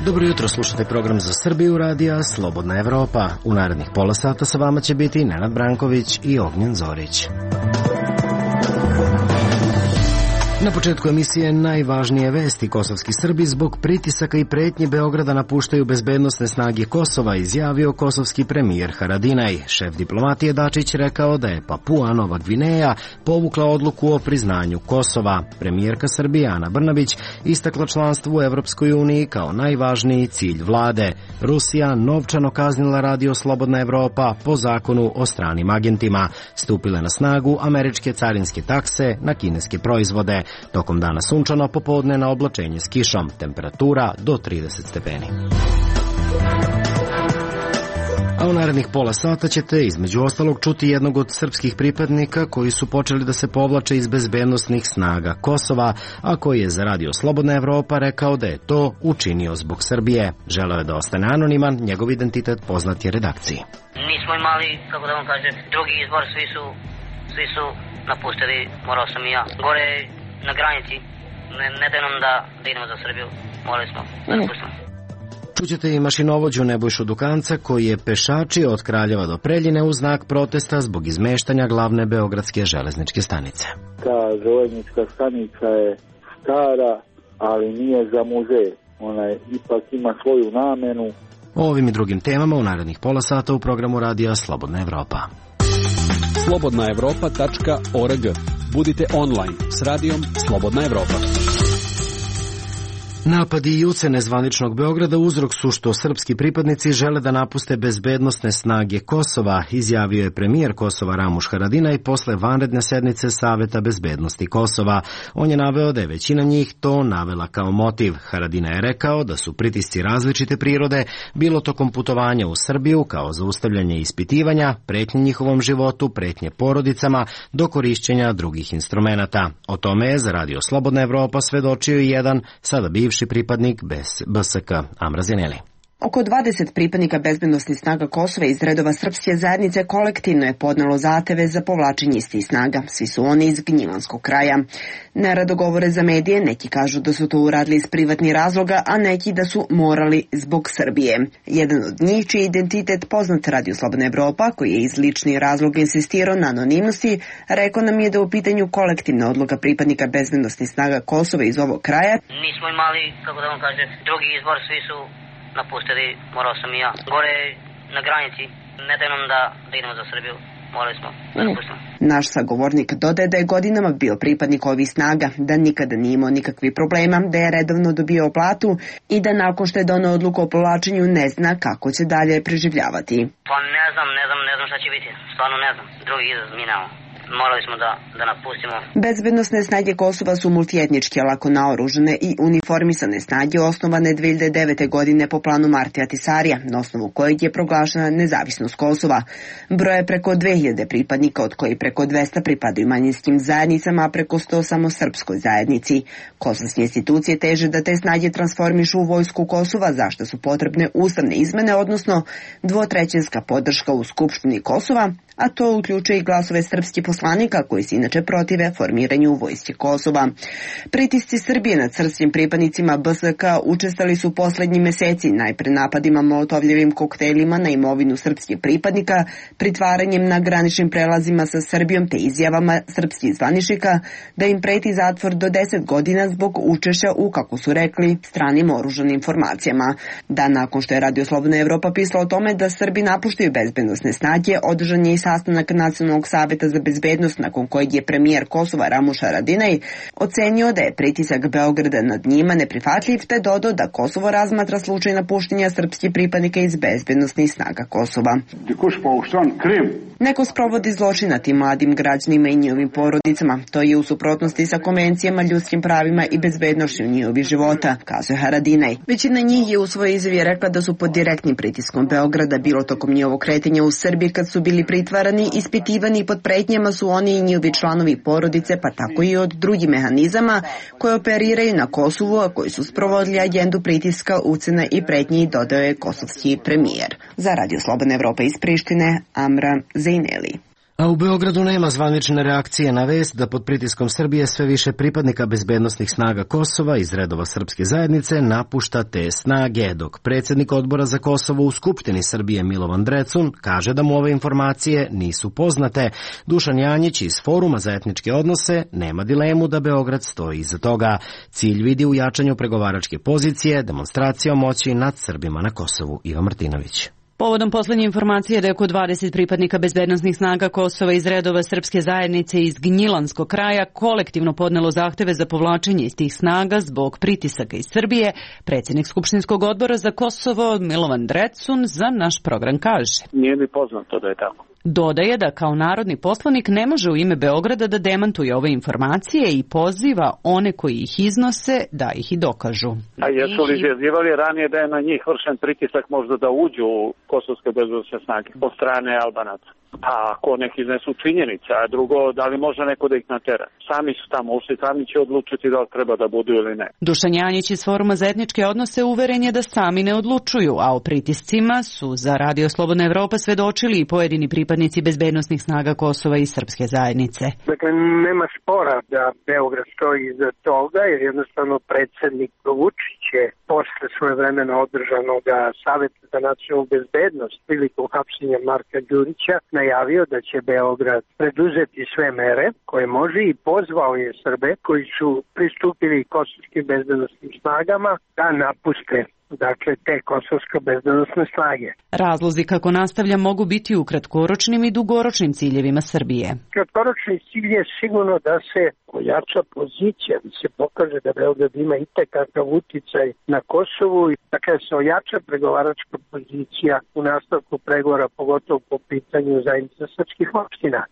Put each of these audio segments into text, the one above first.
Dobro jutro, slušate program za Srbiju radija Slobodna Evropa. U narednih pola sata sa vama će biti Nenad Branković i Ognjen Zorić. Na početku emisije najvažnije vesti. Kosovski Srbi zbog pritisaka i pretnje Beograda napuštaju bezbednosne snage Kosova, izjavio kosovski premijer Haradinaj. Šef diplomatije Dačić rekao da je Papua Nova Gvineja povukla odluku o priznanju Kosova. Premijerka Srbije Ana Brnabić istakla članstvo u Evropskoj uniji kao najvažniji cilj vlade. Rusija novčano kaznila radio Slobodna Evropa po zakonu o stranim agentima. Stupile na snagu američke carinske takse na kineske proizvode. Tokom dana sunčano, popodne na oblačenje s kišom, temperatura do 30 stepeni. A u narednih pola sata ćete između ostalog čuti jednog od srpskih pripadnika koji su počeli da se povlače iz bezbednosnih snaga Kosova, a koji je za radio Slobodna Evropa rekao da je to učinio zbog Srbije. Želeo je da ostane anoniman, njegov identitet poznat je redakciji. Nismo imali, kako da vam kažem, drugi izbor, svi su napustili, morao sam i ja. Gore na granici, ne daj nam da idemo za Srbiju, morali smo da napustimo. Čućete i mašinovođu Nebojšu Dukanca koji je pešačio od Kraljeva do Preljine u znak protesta zbog izmeštanja glavne beogradske železničke stanice. Ta železnička stanica je stara, ali nije za muzej. Ona ipak ima svoju namenu. O ovim i drugim temama u narednih pola sata u programu radija Slobodna Evropa. slobodnaevropa.org. Budite online s radijom Slobodna Evropa. Napadi i ucene zvaničnog Beograda uzrok su što srpski pripadnici žele da napuste bezbednosne snage Kosova, izjavio je premijer Kosova Ramuš Haradinaj posle vanredne sednice Saveta bezbednosti Kosova. On je naveo da je većina njih to navela kao motiv. Haradinaj je rekao da su pritisci različite prirode, bilo tokom putovanja u Srbiju kao zaustavljanje ispitivanja, pretnje njihovom životu, pretnje porodicama, do korišćenja drugih instrumenata. O tome je za radio Slobodna Evropa svedočio i jedan, sada bivši pripadnik BSK, Amra Zeneli. Oko 20 pripadnika bezbednosnih snaga Kosova iz redova srpske zajednice kolektivno je podnelo zahteve za povlačenje istih snaga. Svi su oni iz Gnjilanskog kraja. Nerado govore za medije, neki kažu da su to uradili iz privatnih razloga, a neki da su morali zbog Srbije. Jedan od njih, čiji identitet poznat radio Slobodna Evropa, koji je iz ličnih razloga insistirao na anonimnosti, rekao nam je da u pitanju kolektivna odluka pripadnika bezbednosnih snaga Kosova iz ovog kraja. Nismo imali, kako da vam kažem, drugi izbor, svi su napustili, morao sam i ja. Gore na granici, ne daj nam da idemo za Srbiju, morali smo da napustimo. Naš sagovornik dodaje da je godinama bio pripadnik ovih snaga, da nikada nije imao nikakvih problema, da je redovno dobio platu i da nakon što je doneo odluku o povlačenju ne zna kako će dalje preživljavati. Pa ne znam šta će biti, stvarno ne znam, drugi izraz mi nemamo. Morali smo da napustimo. Bezbednosne snage Kosova su multietničke, lako naoružane i uniformisane snage osnovane 2009. godine po planu Martija Tisarija, na osnovu kojeg je proglašena nezavisnost Kosova. Broje preko 2000 pripadnika, od koji preko 200 pripadaju manjinskim zajednicama, a preko 100 samo srpskoj zajednici. Kosovske institucije teže da te snage transformišu u vojsku Kosova, zašto su potrebne ustavne izmene, odnosno dvotrećinska podrška u Skupštini Kosova, a to uključuje i glasove srpskih poslanika koji se inače protive formiranju vojske Kosova. Pritisci Srbije nad srpskim pripadnicima BSK učestali su poslednji meseci, najpre napadima molotovljevim koktelima na imovinu srpskih pripadnika, pritvaranjem na graničnim prelazima sa Srbijom te izjavama srpskih zvaničnika da im preti zatvor do 10 godina zbog učešća u, kako su rekli, stranim oružanim formacijama. Dan nakon što je radio Slobodna Evropa pisala o tome da Srbi napuštaju bezbednosne snage, održan je i sastanak Nacionalnog saveta za bezbednost, nakon kojeg je premijer Kosova Ramuš Haradinaj ocenio da je pritisak Beograda nad njima neprihvatljiv, te dodao da Kosovo razmatra slučaj napuštenja srpskih pripadnika iz bezbednosnih snaga Kosova. Neko sprovodi zločin nad tim mladim građanima i njihovim porodicama. To je u suprotnosti sa konvencijama, ljudskim pravima i bezbednošću njihovih života, kazuje Haradinaj. Većina njih je u svojoj izjavi rekla da su pod direktnim pritiskom Beograda, bilo tokom njihovog kretanja u Srbiji kad su bili pritvarani, ispitivani i pod pretnjama su oni i njihovi članovi porodice, pa tako i od drugih mehanizama koje operiraju na Kosovu, a koji su sprovodili agendu pritiska, ucena i pretnji, dodao je kosovski premijer. Za Radio Slobodna Evropa iz Prištine, Amra Zeneli. A u Beogradu nema zvanične reakcije na vest da pod pritiskom Srbije sve više pripadnika bezbednosnih snaga Kosova iz redova srpske zajednice napušta te snage, dok predsjednik odbora za Kosovo u Skupštini Srbije Milovan Drecun kaže da mu ove informacije nisu poznate. Dušan Janjić iz Foruma za etničke odnose nema dilemu da Beograd stoji iza toga. Cilj vidi u jačanju pregovaračke pozicije, demonstracijom moći nad Srbima na Kosovu. Iva Martinović. Povodom poslednje informacije da je oko 20 pripadnika bezbednosnih snaga Kosova iz redova srpske zajednice iz Gnjilanskog kraja kolektivno podnelo zahteve za povlačenje iz tih snaga zbog pritisaka iz Srbije, predsjednik Skupštinskog odbora za Kosovo Milovan Drecun za naš program kaže: Nije mi poznato da je tako. Dodaje da kao narodni poslanik ne može u ime Beograda da demantuje ove informacije i poziva one koji ih iznose da ih i dokažu. A jesu li izjavljivali ranije da je na njih vršen pritisak možda da uđu u kosovske bezbednosne snage od strane Albanaca? Pa ako neki iznesu činjenica, a drugo, da li može neko da ih natera? Sami su tamo ušli, sami će odlučiti da li treba da budu ili ne. Dušan Janjić iz Foruma za etničke odnose uveren je da sami ne odlučuju, a o pritiscima su za Radio Slobodna Evropa svedočili i pojedini pripadnici bezbednosnih snaga Kosova i srpske zajednice. Dakle, nema spora da Beograd stoji iza toga, jer jednostavno predsjednik Vučić je posle svojevremeno održanog Saveta za nacionalnu bezbednost prilikom hapšenja Marka Đurića najavio da će Beograd preduzeti sve mere koje može i pozvao je Srbe koji su pristupili kosovskim bezbednosnim snagama da napuste te kosovske bezbednosne snage. Razlozi kako nastavlja mogu biti u kratkoročnim i dugoročnim ciljevima Srbije. Kratkoročni cilj je sigurno da se ojača pozicija, da se pokaže da Beograd ima itekakav uticaj na Kosovu i da se ojača pregovaračka pozicija u nastavku pregovora, pogotovo po pitanju zajednice srpskih opština.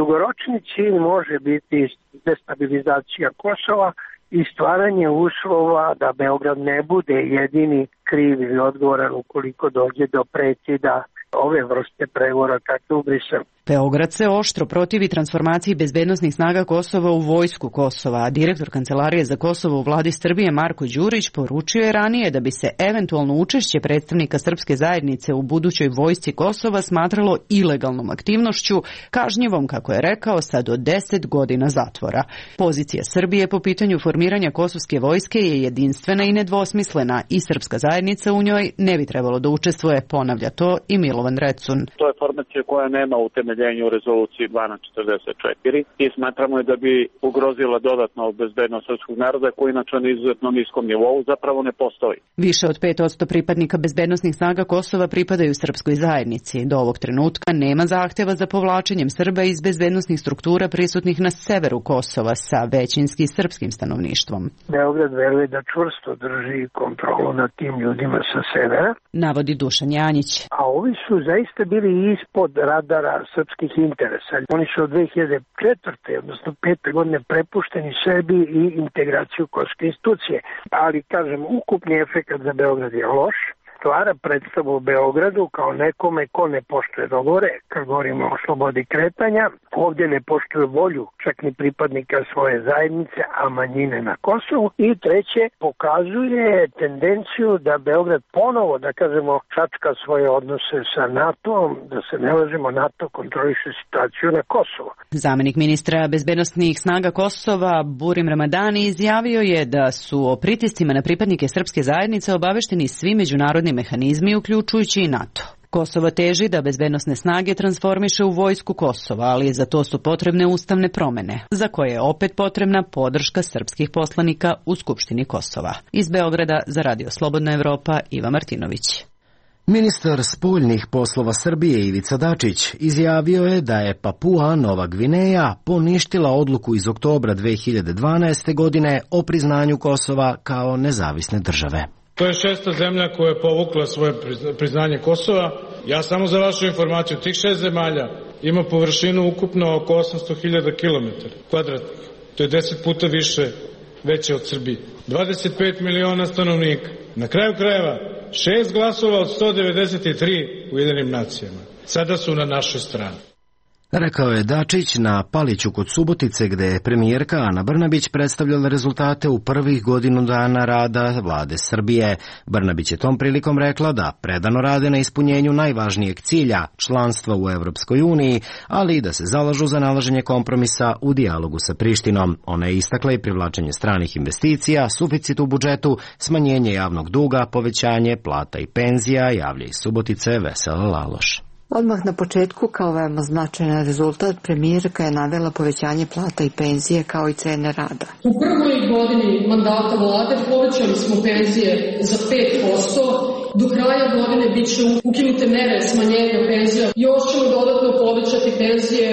Dugoročni cilj može biti destabilizacija Kosova i stvaranje uslova da Beograd ne bude jedini kriv ili odgovoran ukoliko dođe do prekida ove vrste pregovora kakve u Briselu. Beograd se oštro protivi transformaciji bezbednosnih snaga Kosova u vojsku Kosova, a direktor Kancelarije za Kosovo u vladi Srbije Marko Đurić poručio je ranije da bi se eventualno učešće predstavnika srpske zajednice u budućoj vojsci Kosova smatralo ilegalnom aktivnošću, kažnjivom, kako je rekao, sa do 10 godina zatvora. Pozicija Srbije po pitanju formiranja kosovske vojske je jedinstvena i nedvosmislena i srpska zajednica u njoj ne bi trebalo da učestvuje, ponavlja to i Milovan Drecun. To je formacija koja nema utemeljenja u rezoluciji 1244 i smatramo je da bi ugrozila dodatno bezbednost srpskog naroda koji inače na izuzetno niskom nivou zapravo ne postoji. Više od 5% pripadnika bezbednosnih snaga Kosova pripadaju srpskoj zajednici. Do ovog trenutka nema zahteva za povlačenjem Srba iz bezbednosnih struktura prisutnih na severu Kosova sa većinski srpskim stanovništvom. Beograd veruje da čvrsto drži kontrolu nad tim ljudima sa severa, navodi Dušan Janjić. A ovi su zaista bili ispod radara srpskih interesa. Oni su od 2004. odnosno 5. godine prepušteni sebi i integraciju kosovske institucije. Ali, kažem, ukupni efekat za Beograd je loš. Stvara predstavu u Beogradu kao nekome ko ne poštuje dogovore, kad govorimo o slobodi kretanja, ovdje ne poštuje volju čak ni pripadnika svoje zajednice, a manjine na Kosovu. I treće, pokazuje tendenciju da Beograd ponovo, da kažemo, čačka svoje odnose sa NATO-om, da se ne lažemo, NATO kontroliše situaciju na Kosovu. Zamenik ministra bezbednosnih snaga Kosova Burim Ramadani izjavio je da su o pritiscima na pripadnike srpske zajednice obavešteni svi međunarodni mehanizmi, uključujući i NATO. Kosovo teži da bezbednosne snage transformiše u vojsku Kosova, ali za to su potrebne ustavne promene, za koje je opet potrebna podrška srpskih poslanika u Skupštini Kosova. Iz Beograda za Radio Slobodna Evropa, Iva Martinović. Ministar spoljnih poslova Srbije Ivica Dačić izjavio je da je Papua Nova Gvineja poništila odluku iz oktobra 2012. godine o priznanju Kosova kao nezavisne države. To je 6. zemlja koja je povukla svoje priznanje Kosova. Ja samo za vašu informaciju, tih 6 zemalja ima površinu ukupno oko 800.000 km kvadratnih. To je 10 puta veće od Srbije. 25 miliona stanovnika. Na kraju krajeva, 6 glasova od 193 u Ujedinjenim nacijama. Sada su na našoj strani. Rekao je Dačić na Paliću kod Subotice, gde je premijerka Ana Brnabić predstavljala rezultate u prvih godinu dana rada vlade Srbije. Brnabić je tom prilikom rekla da predano rade na ispunjenju najvažnijeg cilja, članstva u Evropskoj uniji, ali i da se zalažu za nalaženje kompromisa u dijalogu sa Prištinom. Ona je istakla i privlačenje stranih investicija, suficit u budžetu, smanjenje javnog duga, povećanje plata i penzija, javlja iz Subotice Vesela Laloš. Odmah na početku, kao veoma značajan rezultat, premijerka je navela povećanje plata i penzije kao i cene rada. U prvoj godini mandata vlade povećali smo penzije za 5%, do kraja godine bit će ukinute mere smanjenja penzija. Još ćemo dodatno povećati penzije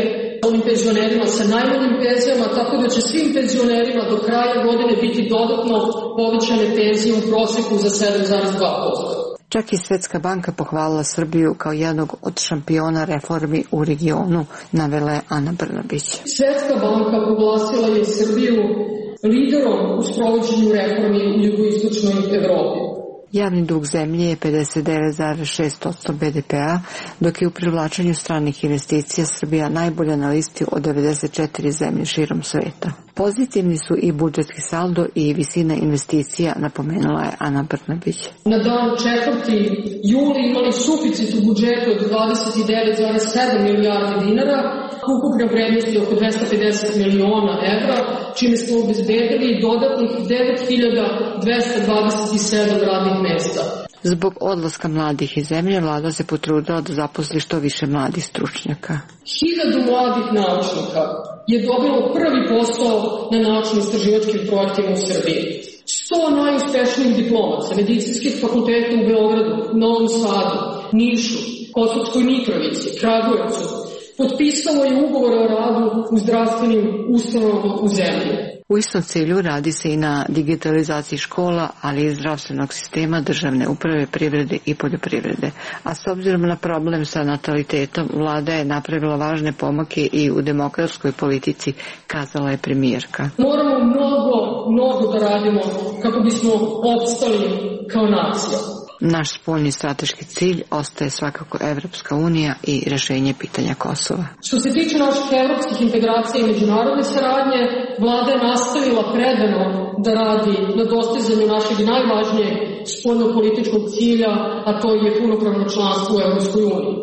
ovim penzionerima sa najmanjim penzijama, tako da će svim penzionerima do kraja godine biti dodatno povećane penzije u proseku za 7,2%. Čak i Svetska banka pohvalila Srbiju kao jednog od šampiona reformi u regionu, navela je Ana Brnabić. Svetska banka proglasila je Srbiju liderom u sprovođenju reformi u jugoistočnoj Evropi. Javni dug zemlje je 59,6% BDP-a, dok je u privlačenju stranih investicija Srbija najbolja na listi od 94 zemlje širom sveta. Pozitivni su i budžetski saldo i visina investicija, napomenula je Ana Brnabić. Na dan 4. juli imali suficit u budžetu od 29,7 milijardi dinara, ukupne vrednosti oko 250 miliona evra, čime smo obezbedili dodatnih 9.227 radnih mesta. Zbog odlaska mladih iz zemlje, vlada se potrudila da zaposli što više mladih stručnjaka. 1000 mladih naučnika je dobilo prvi posao na naučno-istraživačkim projektima u Srbiji. 100 najuspešnijih diplomaca medicinskih fakulteta u Beogradu, Novom Sadu, Nišu, Kosovskoj Mitrovici, Kragujevcu potpisalo je ugovore o radu u zdravstvenim ustanovama u zemlji. U istom cilju radi se i na digitalizaciji škola, ali i zdravstvenog sistema, državne uprave, privrede i poljoprivrede. A s obzirom na problem sa natalitetom, vlada je napravila važne pomake i u demografskoj politici, kazala je premijerka. Moramo mnogo da radimo kako bismo opstali kao nacija. Naš spoljni strateški cilj ostaje svakako Evropska unija i rešenje pitanja Kosova. Što se tiče naših evropskih integracija i međunarodne saradnje, vlada je nastavila predano da radi na dostizanju našeg najvažnijeg spoljnopolitičkog cilja, a to je punopravno članstvo u Evropskoj uniji.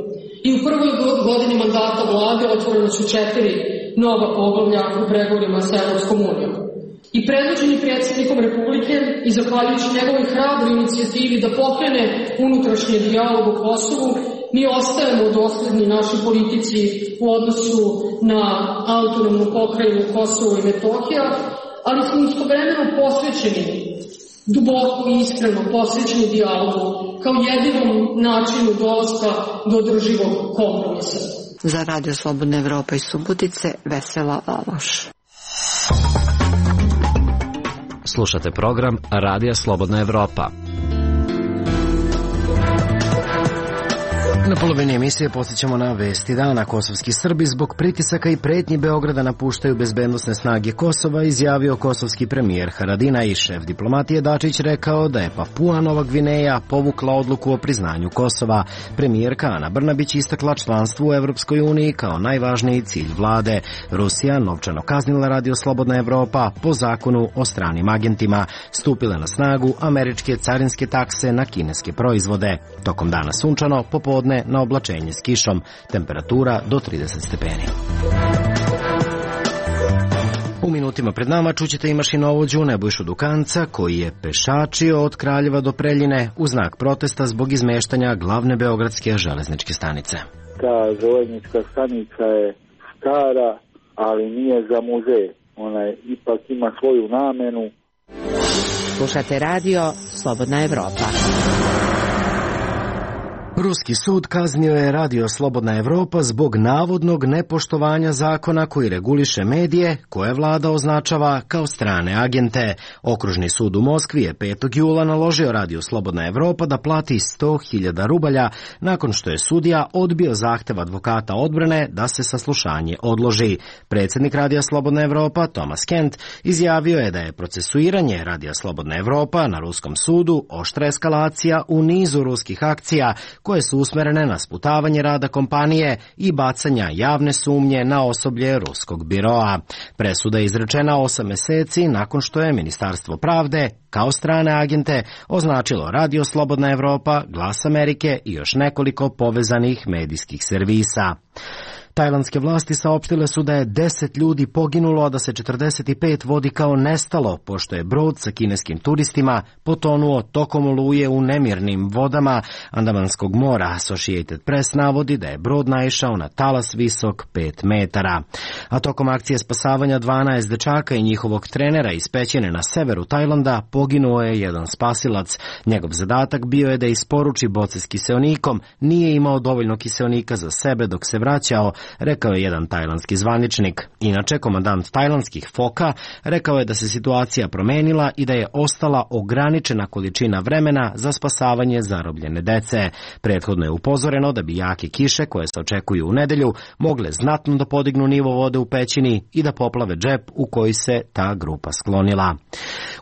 I u prvoj godini mandata vlade otvoreno su 4 nova poglavlja u pregovorima sa Evropskom unijom. I predvođeni predsjednikom Republike i zahvaljujući njegovoj hrabroj inicijativi da pokrene unutrašnji dijalog o Kosovu, mi ostajemo dosledni našoj politici u odnosu na autonomnu pokrajinu Kosovo i Metohija, ali smo istovremeno posvećeni, duboko i iskreno posvećeni dijalogu kao jedinom načinu dolaska do održivog kompromisa. Za Radio Slobodna Evropa iz Subotice, Vesela Laloš. Slušate program Radija Slobodna Evropa. Na polovini emisije podsjećamo na vesti dana. Kosovski Srbi zbog pritisaka i pretnji Beograda napuštaju bezbednosne snage Kosova, izjavio kosovski premijer Haradinaj. Šef diplomatije Dačić rekao da je Papua Nova Gvineja povukla odluku o priznanju Kosova. Premijerka Ana Brnabić istakla članstvo u Evropskoj uniji kao najvažniji cilj vlade. Rusija novčano kaznila Radio Slobodna Evropa po zakonu o stranim agentima. Stupile na snagu američke carinske takse na kineske proizvode. Tokom dana sunčano, popodne na oblačenje s kišom, temperatura do 30 stepeni. U minutima pred nama čućete i mašinovođu Nebojšu Dukanca, koji je pešačio od Kraljeva do Preljine u znak protesta zbog izmeštanja glavne beogradske železničke stanice. Ta železnička stanica je stara, ali nije za muzej. Ona ipak ima svoju namenu. Slušate radio Slobodna Evropa. Ruski sud kaznio je Radio Slobodna Evropa zbog navodnog nepoštovanja zakona koji reguliše medije koje vlada označava kao strane agente. Okružni sud u Moskvi je 5. jula naložio Radio Slobodna Evropa da plati 100.000 rubalja nakon što je sudija odbio zahtev advokata odbrane da se saslušanje odloži. Predsjednik Radija Slobodna Evropa Thomas Kent izjavio je da je procesuiranje Radija Slobodna Evropa na ruskom sudu oštra eskalacija u nizu ruskih akcija koje su usmerene na sputavanje rada kompanije i bacanja javne sumnje na osoblje ruskog biroa. Presuda je izrečena 8 meseci nakon što je Ministarstvo pravde kao strane agente označilo Radio Slobodna Evropa, Glas Amerike i još nekoliko povezanih medijskih servisa. Tajlandske vlasti saopštile su da je 10 ljudi poginulo, a da se 45 vodi kao nestalo, pošto je brod sa kineskim turistima potonuo tokom oluje u nemirnim vodama Andamanskog mora. Associated Press navodi da je brod naišao na talas visok 5 metara. A tokom akcije spasavanja 12 dečaka i njihovog trenera iz pećine na severu Tajlanda poginuo je jedan spasilac. Njegov zadatak bio je da isporuči boce s kiseonikom, nije imao dovoljno kiseonika za sebe dok se vraćao, rekao je jedan tajlandski zvaničnik. Inače, komandant tajlandskih foka rekao je da se situacija promenila i da je ostala ograničena količina vremena za spasavanje zarobljene dece. Prethodno je upozoreno da bi jake kiše, koje se očekuju u nedelju, mogle znatno da podignu nivo vode u pećini i da poplave džep u koji se ta grupa sklonila.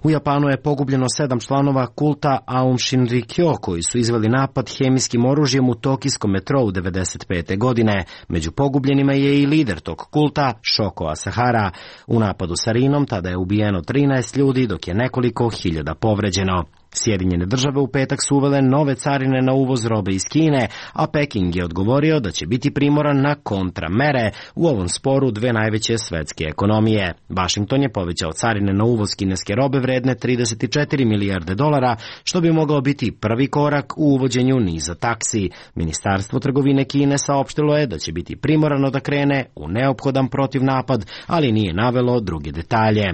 U Japanu je pogubljeno 7 članova kulta Aum Shinrikyo, koji su izveli napad hemijskim oružjem u tokijskom metrou 1995. godine. Među pogubljenima je i lider tog kulta, Shoko Asahara. U napadu sarinom tada je ubijeno 13 ljudi, dok je nekoliko hiljada povređeno. Sjedinjene države u petak su uvele nove carine na uvoz robe iz Kine, a Peking je odgovorio da će biti primoran na kontramere u ovom sporu dve najveće svetske ekonomije. Washington je povećao carine na uvoz kineske robe vredne 34 milijarde dolara, što bi mogao biti prvi korak u uvođenju niza taksi. Ministarstvo trgovine Kine saopštilo je da će biti primorano da krene u neophodan protivnapad, ali nije navelo druge detalje.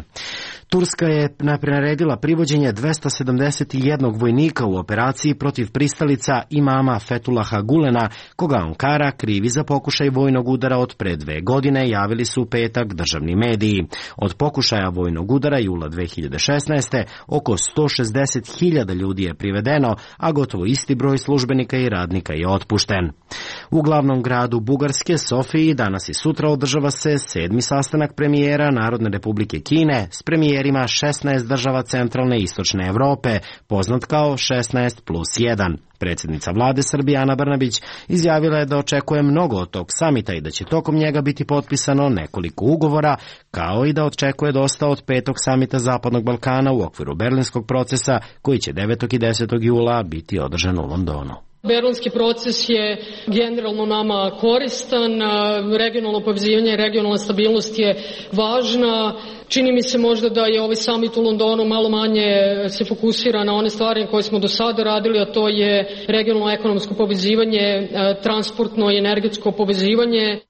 Turska je naredila privođenje 271 vojnika u operaciji protiv pristalica imama Fethullaha Gulena, koga Ankara krivi za pokušaj vojnog udara od pre 2 godine, javili su u petak državni mediji. Od pokušaja vojnog udara jula 2016. oko 160.000 ljudi je privedeno, a gotovo isti broj službenika i radnika je otpušten. U glavnom gradu Bugarske, Sofiji, danas i sutra održava se 7. sastanak premijera Narodne republike Kine s premijerima 16 država centralne i istočne Evrope, poznat kao 16+1. Predsjednica vlade Srbije Ana Brnabić izjavila je da očekuje mnogo od tog samita i da će tokom njega biti potpisano nekoliko ugovora, kao i da očekuje dosta od 5. samita Zapadnog Balkana u okviru berlinskog procesa koji će 9. i 10. jula biti održan u Londonu. Berlinski proces je generalno nama koristan, regionalno povezivanje i regionalna stabilnost je važna. Čini mi se možda da je ovaj samit u Londonu malo manje se fokusira na one stvari koje smo do sada radili, a to je regionalno ekonomsko povezivanje, transportno i energetsko povezivanje.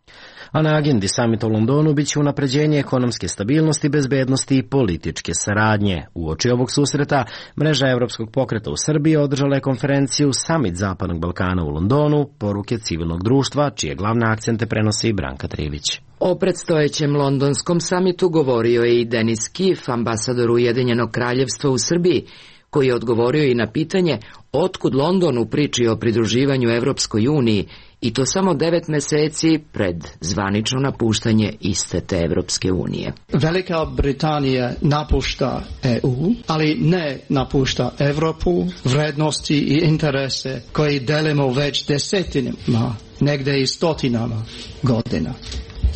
A na agendi samita u Londonu biće unapređenje ekonomske stabilnosti, bezbednosti i političke saradnje. Uoči ovog susreta, mreža Evropskog pokreta u Srbiji održala je konferenciju Samit Zapadnog Balkana u Londonu, poruke civilnog društva, čije glavne akcente prenosi Branka Trivić. O predstojećem londonskom samitu govorio je i Denis Kif, ambasador Ujedinjenog kraljevstva u Srbiji, koji je odgovorio i na pitanje otkud London u priči o pridruživanju Evropskoj uniji, i to samo 9 meseci pred zvanično napuštanje iste te Evropske unije. Velika Britanija napušta EU, ali ne napušta Evropu, vrednosti i interese koji delimo već desetinama, negde i stotinama godina.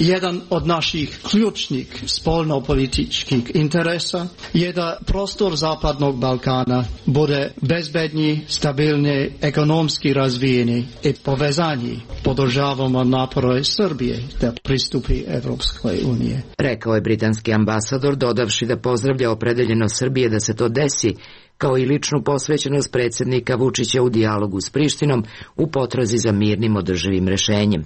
Jedan od naših ključnih spoljnopolitičkih interesa je da prostor Zapadnog Balkana bude bezbedniji, stabilni, ekonomski razvijeni i povezani. Podržavamo napore Srbije da pristupi Evropskoj unije. Rekao je britanski ambasador, dodavši da pozdravlja opredeljenost Srbije da se to desi, kao i ličnu posvećenost predsjednika Vučića u dijalogu s Prištinom u potrazi za mirnim održivim rešenjem.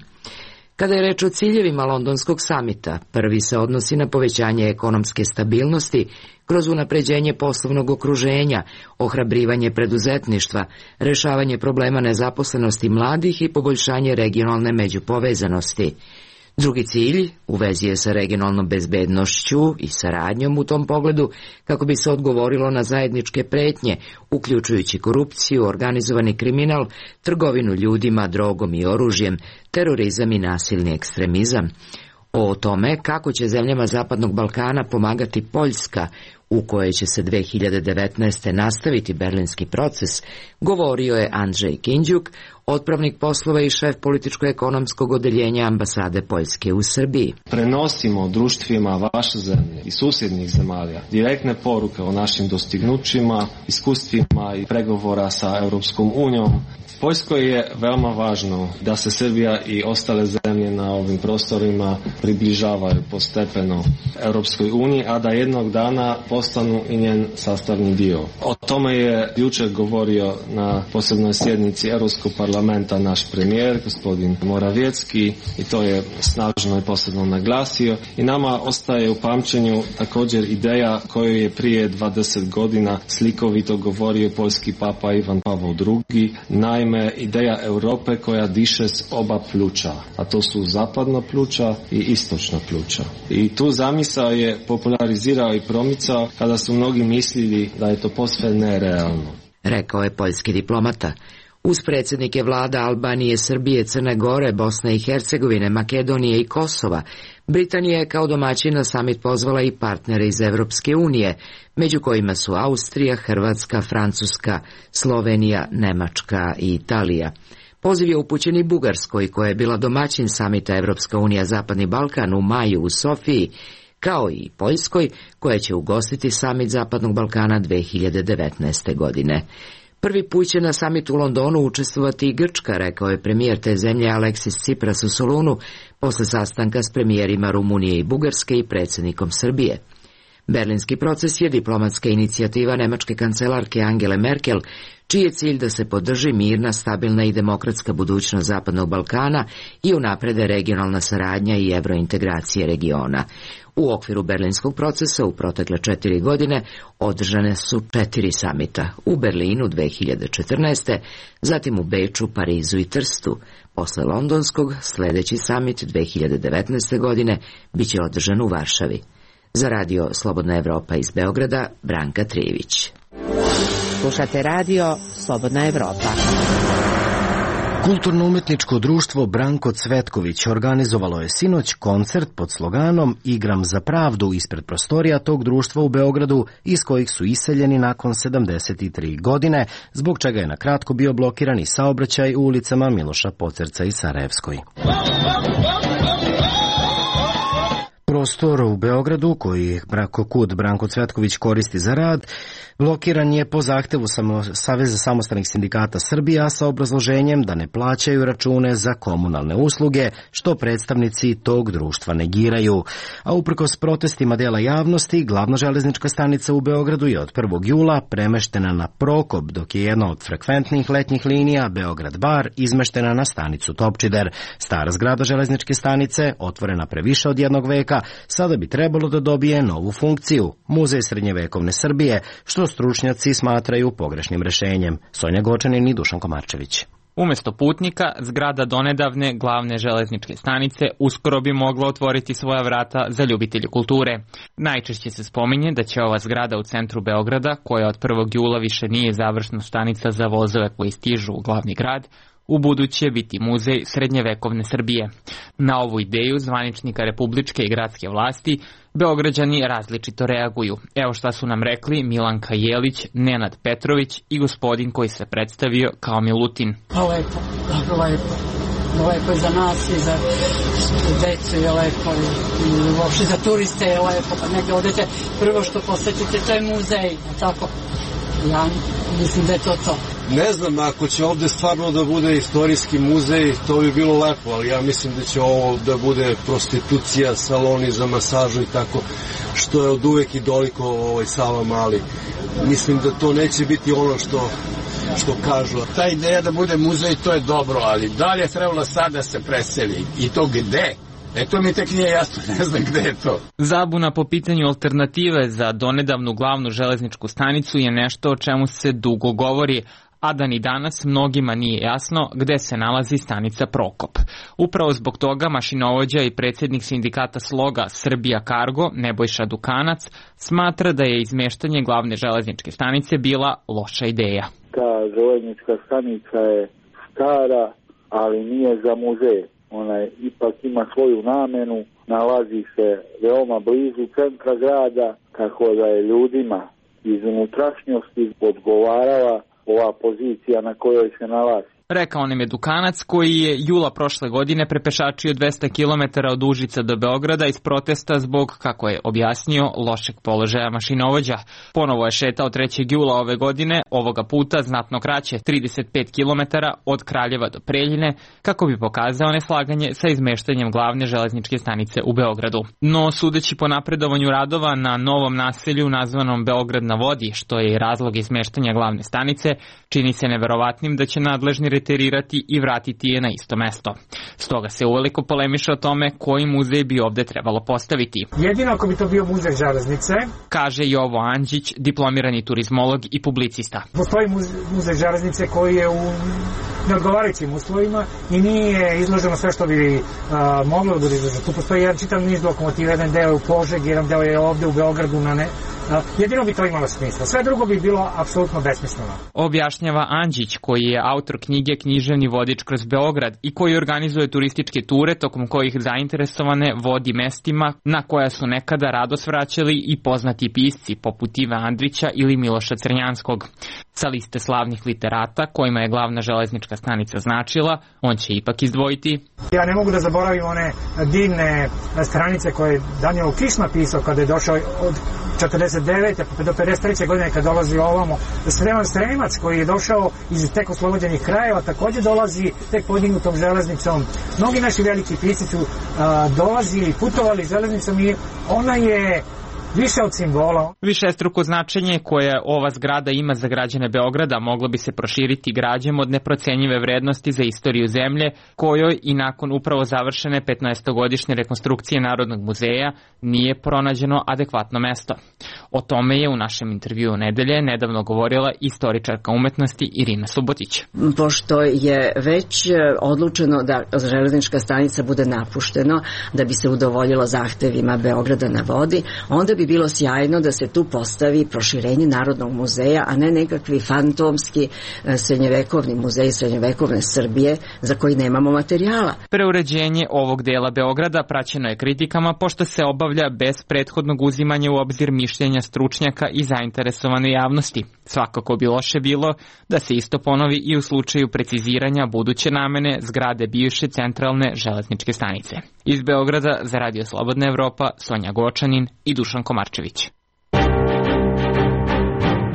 Kada je reč o ciljevima londonskog samita, prvi se odnosi na povećanje ekonomske stabilnosti kroz unapređenje poslovnog okruženja, ohrabrivanje preduzetništva, rešavanje problema nezaposlenosti mladih i poboljšanje regionalne međupovezanosti. Drugi cilj u vezi je sa regionalnom bezbednošću i saradnjom u tom pogledu kako bi se odgovorilo na zajedničke pretnje, uključujući korupciju, organizovani kriminal, trgovinu ljudima, drogom i oružjem, terorizam i nasilni ekstremizam. O tome kako će zemljama Zapadnog Balkana pomagati Poljska, u kojoj će se 2019. nastaviti berlinski proces, govorio je Andrzej Kinđuk, otpravnik poslova i šef političko-ekonomskog odeljenja ambasade Poljske u Srbiji. Prenosimo društvima vaše zemlje i susjednih zemalja direktne poruke o našim dostignućima, iskustvima i pregovora sa Europskom unijom. Poljskoj je veoma važno da se Srbija i ostale zemlje na ovim prostorima približavaju postepeno Europskoj uniji, a da jednog dana postanu i njen sastavni dio. O tome je jučer govorio na posebnoj sjednici Europskog parlamenta naš premijer, gospodin Morawiecki, i to je snažno i posebno naglasio. I nama ostaje u pamćenju također ideja koju je prije 20 godina slikovito govorio poljski papa Ivan Pavao II. Naime, ideja Europe koja diše s oba pluća, a to su zapadna pluća i istočna pluća. I tu zamisao je popularizirao i promicao kada su mnogi mislili da je to posve nerealno. Rekao je poljski diplomata. Uz predsjednike vlada Albanije, Srbije, Crne Gore, Bosne i Hercegovine, Makedonije i Kosova, Britanija je kao domaćin na samit pozvala i partnere iz Evropske unije, među kojima su Austrija, Hrvatska, Francuska, Slovenija, Nemačka i Italija. Poziv je upućen i Bugarskoj, koja je bila domaćin samita Evropska unija Zapadni Balkan u maju u Sofiji, kao i Poljskoj, koja će ugostiti samit Zapadnog Balkana 2019. godine. Prvi put će na samitu u Londonu učestvovati i Grčka, rekao je premijer te zemlje Aleksis Tsipras u Solunu, posle sastanka s premijerima Rumunije i Bugarske i predsjednikom Srbije. Berlinski proces je diplomatska inicijativa nemačke kancelarke Angele Merkel, čiji je cilj da se podrži mirna, stabilna i demokratska budućnost Zapadnog Balkana i unaprede regionalna saradnja i evrointegracije regiona. U okviru berlinskog procesa u protekle 4 godine održane su 4 samita. U Berlinu 2014. zatim u Beču, Parizu i Trstu. Posle londonskog, sljedeći samit 2019. godine biće održan u Varšavi. Za radio Slobodna Evropa iz Beograda, Branka Trijević. Slušate radio Slobodna Evropa. Kulturno-umetničko društvo Branko Cvetković organizovalo je sinoć koncert pod sloganom Igram za pravdu ispred prostorija tog društva u Beogradu, iz kojih su iseljeni nakon 73 godine, zbog čega je na kratko bio blokiran i saobraćaj u ulicama Miloša Pocerca i Sarajevskoj. Prostor u Beogradu, koji KUD Branko Cvetković koristi za rad, blokiran je po zahtevu Saveza samostalnih sindikata Srbije, sa obrazloženjem da ne plaćaju račune za komunalne usluge, što predstavnici tog društva negiraju. A uprkos protestima dela javnosti, glavna železnička stanica u Beogradu je od 1. jula premeštena na Prokop, dok je jedna od frekventnih letnjih linija Beograd-Bar izmeštena na stanicu Topčider. Stara zgrada železničke stanice, otvorena pre više od jednog veka, sada bi trebalo da dobije novu funkciju, Muzej srednjevekovne Srbije, što stručnjaci smatraju pogrešnim rešenjem. Sonja Gočanin i Dušan Komarčević. Umesto putnika, zgrada donedavne glavne železničke stanice uskoro bi mogla otvoriti svoja vrata za ljubitelje kulture. Najčešće se spominje da će ova zgrada u centru Beograda, koja od 1. jula više nije završna stanica za vozove koji stižu u glavni grad, u buduće biti Muzej srednjevekovne Srbije. Na ovu ideju zvaničnika republičke i gradske vlasti Beograđani različito reaguju. Evo šta su nam rekli Milanka Jelić, Nenad Petrović i gospodin koji se predstavio kao Milutin. Lepo, dobro lepo. Lepo je za nas i za decu je lepo i uopšte za turiste je lepo. Pa negdje odete, prvo što posetite to je muzej, tako? Ja mislim da je to. Ne znam, ako će ovde stvarno da bude istorijski muzej, to bi bilo lepo, ali ja mislim da će ovo da bude prostitucija, saloni za masažu i tako, što je od uvek i doliko Sava Mali. Mislim da to neće biti ono što kažu. Ta ideja da bude muzej, to je dobro, ali da li je trebalo sad da se preseli i to gde? To mi tek nije jasno, ne znam gde je to. Zabuna po pitanju alternative za donedavnu glavnu železničku stanicu je nešto o čemu se dugo govori, a da ni danas mnogima nije jasno gde se nalazi stanica Prokop. Upravo zbog toga mašinovođa i predsjednik sindikata Sloga Srbija Kargo, Nebojša Dukanac, smatra da je izmeštanje glavne železničke stanice bila loša ideja. Ta železnička stanica je stara, ali nije za muzej. Ona ipak ima svoju namenu, nalazi se veoma blizu centra grada, tako da je ljudima iz unutrašnjosti odgovarala ova pozicija na kojoj se nalazi. Rekao nam je Dukanac koji je jula prošle godine prepešačio 200 km od Užica do Beograda iz protesta zbog, kako je objasnio, lošeg položaja mašinovođa. Ponovo je šetao 3. jula ove godine, ovoga puta znatno kraće, 35 km od Kraljeva do Preljine, kako bi pokazao neslaganje sa izmeštanjem glavne železničke stanice u Beogradu. No, sudeći po napredovanju radova na novom naselju nazvanom Beograd na vodi, što je i razlog izmeštanja glavne stanice, čini se neverovatnim da će nadležni reterirati i vratiti je na isto mesto. Stoga se uveliko polemiše o tome koji muzej bi ovde trebalo postaviti. Jedino ako bi to bio muzej železnice, kaže Jovo Andžić, diplomirani turizmolog i publicista. Postoji muzej železnice koji je u neodgovarajućim uslovima i nije izloženo sve što bi moglo da bude izloženo. Tu postoji jedan čitav niz lokomotiva, jedan deo je u Požegi, jedan deo je ovde u Beogradu jedino bi to imalo smisla. Sve drugo bi bilo apsolutno besmisleno. Objašnjava Andžić, koji je autor knjige Književni vodič kroz Beograd i koji organizuje turističke ture tokom kojih zainteresovane vodi mestima na koja su nekada rado svraćali i poznati pisci poput Ive Andrića ili Miloša Crnjanskog. Sa liste slavnih literata kojima je glavna železnička stanica značila, on će ipak izdvojiti. Ja ne mogu da zaboravim one divne stranice koje je Danilo Kiš napisao kada je došao od 49. pa do 53. godine kad dolazi ovamo. Sreman Sremac koji je došao iz tek oslobođenih krajeva takođe dolazi tek podignutom železnicom. Mnogi naši veliki pisci su dolazili, putovali železnicom i ona je više od simbola. Višestruko značenje koje ova zgrada ima za građane Beograda moglo bi se proširiti građom od neprocenjive vrednosti za istoriju zemlje, kojoj i nakon upravo završene 15-godišnje rekonstrukcije Narodnog muzeja nije pronađeno adekvatno mesto. O tome je u našem intervjuu nedelje nedavno govorila istoričarka umetnosti Irina Subotić. Pošto je već odlučeno da železnička stanica bude napušteno da bi se udovoljilo zahtevima Beograda na vodi, onda bi bilo sjajno da se tu postavi proširenje Narodnog muzeja, a ne nekakvi fantomski srednjevekovni muzej srednjevekovne Srbije za koji nemamo materijala. Preuređenje ovog dela Beograda praćeno je kritikama pošto se obavlja bez prethodnog uzimanja u obzir mišljenja stručnjaka i zainteresovane javnosti. Svakako bi loše bilo da se isto ponovi i u slučaju preciziranja buduće namene zgrade bivše centralne železničke stanice. Iz Beograda za Radio Slobodna Evropa, Sonja Gočanin i Dušan Komarčević.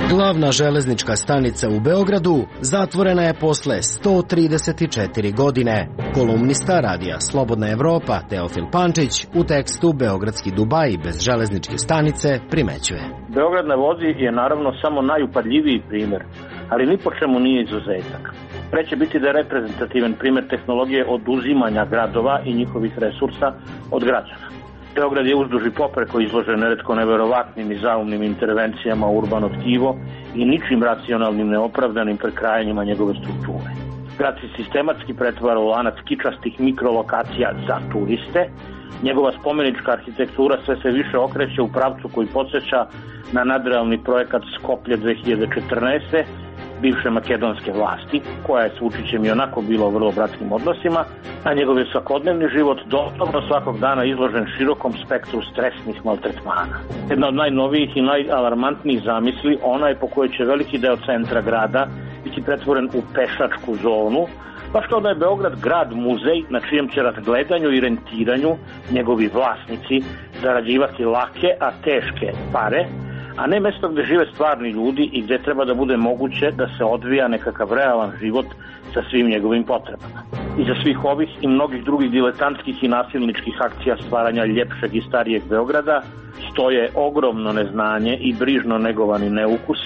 Glavna železnička stanica u Beogradu zatvorena je posle 134 godine. Kolumnista Radija Slobodna Evropa Teofil Pančić u tekstu Beogradski Dubaj bez železničke stanice primećuje. Beograd na vodi je naravno samo najupadljiviji primer, ali ni po čemu nije izuzetak. Pre će biti da je reprezentativan primer tehnologije oduzimanja gradova i njihovih resursa od građana. Beograd je uzduž i popreko izložen neretko neverovatnim i zaumnim intervencijama u urbano tkivo i ničim racionalnim neopravdanim prekrajanjima njegove strukture. Grad se sistematski pretvara u lanac kičastih mikrolokacija za turiste, njegova spomenička arhitektura sve se više okreće u pravcu koji podsjeća na nadrealni projekat Skoplje 2014. bivše makedonske vlasti, koja je s Vučićem i onako bila u vrlo bratskim odnosima, a njegov je svakodnevni život doslovno svakog dana izložen širokom spektru stresnih maltretmana. Jedna od najnovijih i najalarmantnijih zamisli, ona je po kojoj će veliki deo centra grada biti pretvoren u pešačku zonu, baš kao da je Beograd grad muzej na čijem će razgledanju i rentiranju njegovi vlasnici zarađivati lake, a teške pare, a ne mesto gde žive stvarni ljudi i gde treba da bude moguće da se odvija nekakav realan život sa svim njegovim potrebama. Iza svih ovih i mnogih drugih diletantskih i nasilničkih akcija stvaranja ljepšeg i starijeg Beograda stoje ogromno neznanje i brižno negovani neukus,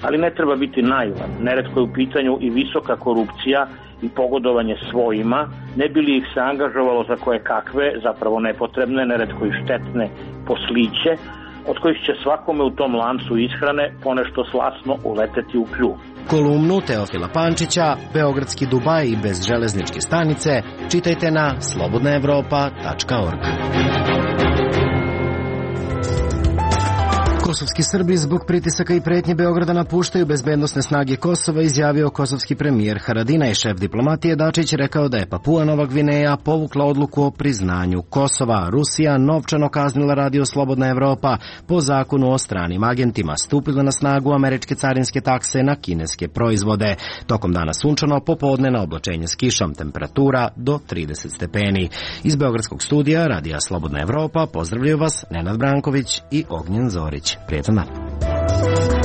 ali ne treba biti naivan. Neretko je u pitanju i visoka korupcija i pogodovanje svojima, ne bi li ih se angažovalo za koje kakve, zapravo nepotrebne, neretko i štetne posliće, od kojih će svakome u tom lancu ishrane ponešto slasno uleteti u kljuv. Kolumnu Teofila Pančića, Beogradski Dubaj bez železničke stanice, čitajte na slobodnaevropa.org. kosovski Srbi zbog pritisaka i pretnje Beograda napuštaju bezbednosne snage Kosova, izjavio kosovski premijer Haradinaj. Šef diplomatije Dačić rekao da je Papua Nova Gvineja povukla odluku o priznanju Kosova. Rusija novčano kaznila Radio Slobodna Evropa po zakonu o stranim agentima. Stupile na snagu američke carinske takse na kineske proizvode. Tokom dana sunčano, popodne na oblačenje s kišom, temperatura do 30 stepeni. Iz beogradskog studija Radija Slobodna Evropa pozdravljaju vas Nenad Branković i Ognjen Zorić. Prijetan dan.